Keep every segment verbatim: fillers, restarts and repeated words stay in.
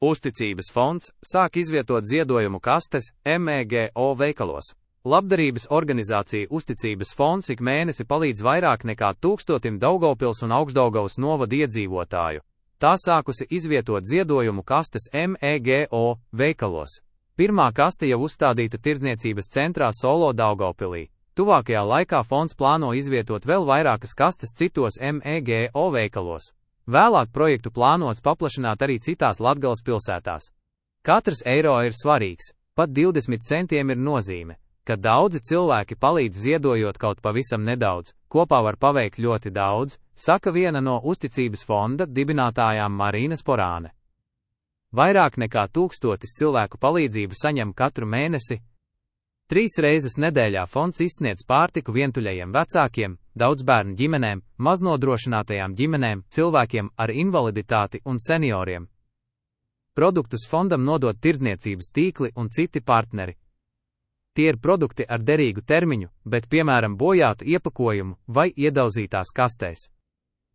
Uzticības fonds sāk izvietot ziedojumu kastes M E G O veikalos. Labdarības organizācija Uzticības fonds ik mēnesi palīdz vairāk nekā tūkstotim Daugavpils un Augšdaugavas novada iedzīvotāju. Tā sākusi izvietot ziedojumu kastes M E G O veikalos. Pirmā kaste jau uzstādīta tirdzniecības centrā Solo Daugavpilī. Tuvākajā laikā fonds plāno izvietot vēl vairākas kastes citos M E G O veikalos. Vēlāk projektu plānots paplašināt arī citās Latgales pilsētās. Katrs eiro ir svarīgs, pat divdesmit centiem ir nozīme, ka daudzi cilvēki palīdz ziedojot kaut pavisam nedaudz, kopā var paveikt ļoti daudz, saka viena no Uzticības fonda dibinātājām Marīna Sporāne. Vairāk nekā tūkstotis cilvēku palīdzību saņem katru mēnesi. Trīs reizes nedēļā fonds izsniedz pārtiku vientuļajiem vecākiem, daudzbērnu ģimenēm, maznodrošinātajām ģimenēm, cilvēkiem ar invaliditāti un senioriem. Produktus fondam nodod tirdzniecības tīkli un citi partneri. Tie ir produkti ar derīgu termiņu, bet piemēram bojātu iepakojumu vai iedauzītās kastēs.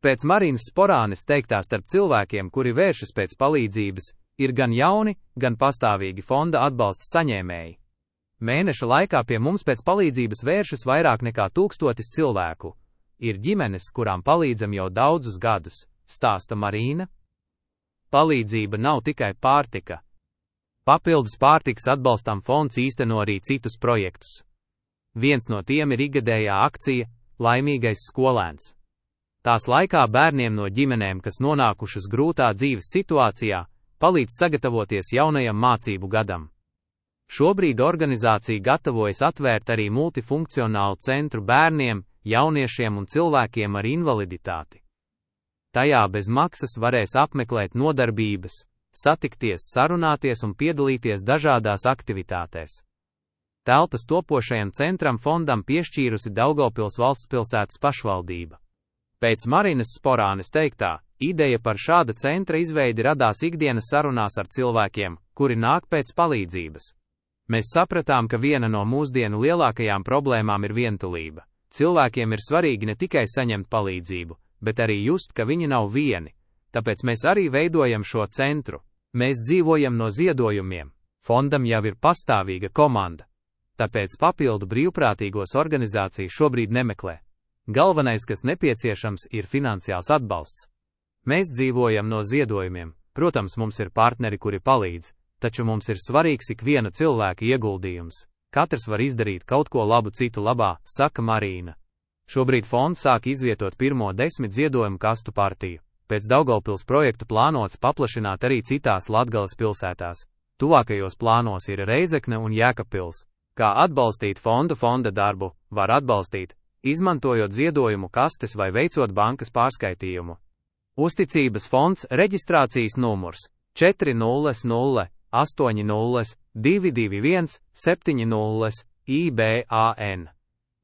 Pēc Marīnas Sporānes teiktā, starp cilvēkiem, kuri vēršas pēc palīdzības, ir gan jauni, gan pastāvīgi fonda atbalsta saņēmēji. Mēneša laikā pie mums pēc palīdzības vēršas vairāk nekā tūkstotis cilvēku. Ir ģimenes, kurām palīdzam jau daudzus gadus, stāsta Marīna. Palīdzība nav tikai pārtika. Papildus pārtikas atbalstam fonds īsteno arī citus projektus. Viens no tiem ir ikgadējā akcija Laimīgais skolēns. Tās laikā bērniem no ģimenēm, kas nonākušas grūtā dzīves situācijā, palīdz sagatavoties jaunajam mācību gadam. Šobrīd organizācija gatavojas atvērt arī multifunkcionālu centru bērniem, jauniešiem un cilvēkiem ar invaliditāti. Tajā bez maksas varēs apmeklēt nodarbības, satikties, sarunāties un piedalīties dažādās aktivitātēs. Telpas topošajam centram fondam piešķīrusi Daugavpils valstspilsētas pašvaldība. Pēc Marīnas Sporānes teiktā, ideja par šāda centra izveidi radās ikdienas sarunās ar cilvēkiem, kuri nāk pēc palīdzības. Mēs sapratām, ka viena no mūsdienu lielākajām problēmām ir vientulība. Cilvēkiem ir svarīgi ne tikai saņemt palīdzību, bet arī just, ka viņi nav vieni. Tāpēc mēs arī veidojam šo centru. Mēs dzīvojam no ziedojumiem. Fondam jau ir pastāvīga komanda. Tāpēc papildu brīvprātīgos organizāciju šobrīd nemeklē. Galvenais, kas nepieciešams, ir finansiāls atbalsts. Mēs dzīvojam no ziedojumiem. Protams, mums ir partneri, kuri palīdz. Taču mums ir svarīgs ikviena cilvēka ieguldījums. Katrs var izdarīt kaut ko labu citu labā, saka Marīna. Šobrīd fonds sāk izvietot pirmo desmit ziedojumu kastu partiju. Pēc Daugavpils projektu plānots paplašināt arī citās Latgales pilsētās. Tuvākajos plānos ir Reizekne un Jēkabpils. Kā atbalstīt fondu fonda darbu, var atbalstīt, izmantojot ziedojumu kastes vai veicot bankas pārskaitījumu. Uzticības fonds reģistrācijas numurs četri nulle nulle astoņi nulle divi divi viens septiņi nulle I B A N.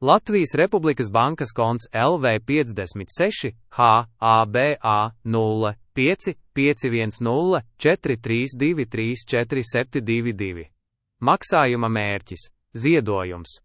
Latvijas Republikas bankas konts L V piecdesmit seši H A B A nulle pieci pieci viens nulle četri trīs divi trīs četri septiņi divi divi. Maksājuma mērķis – ziedojums.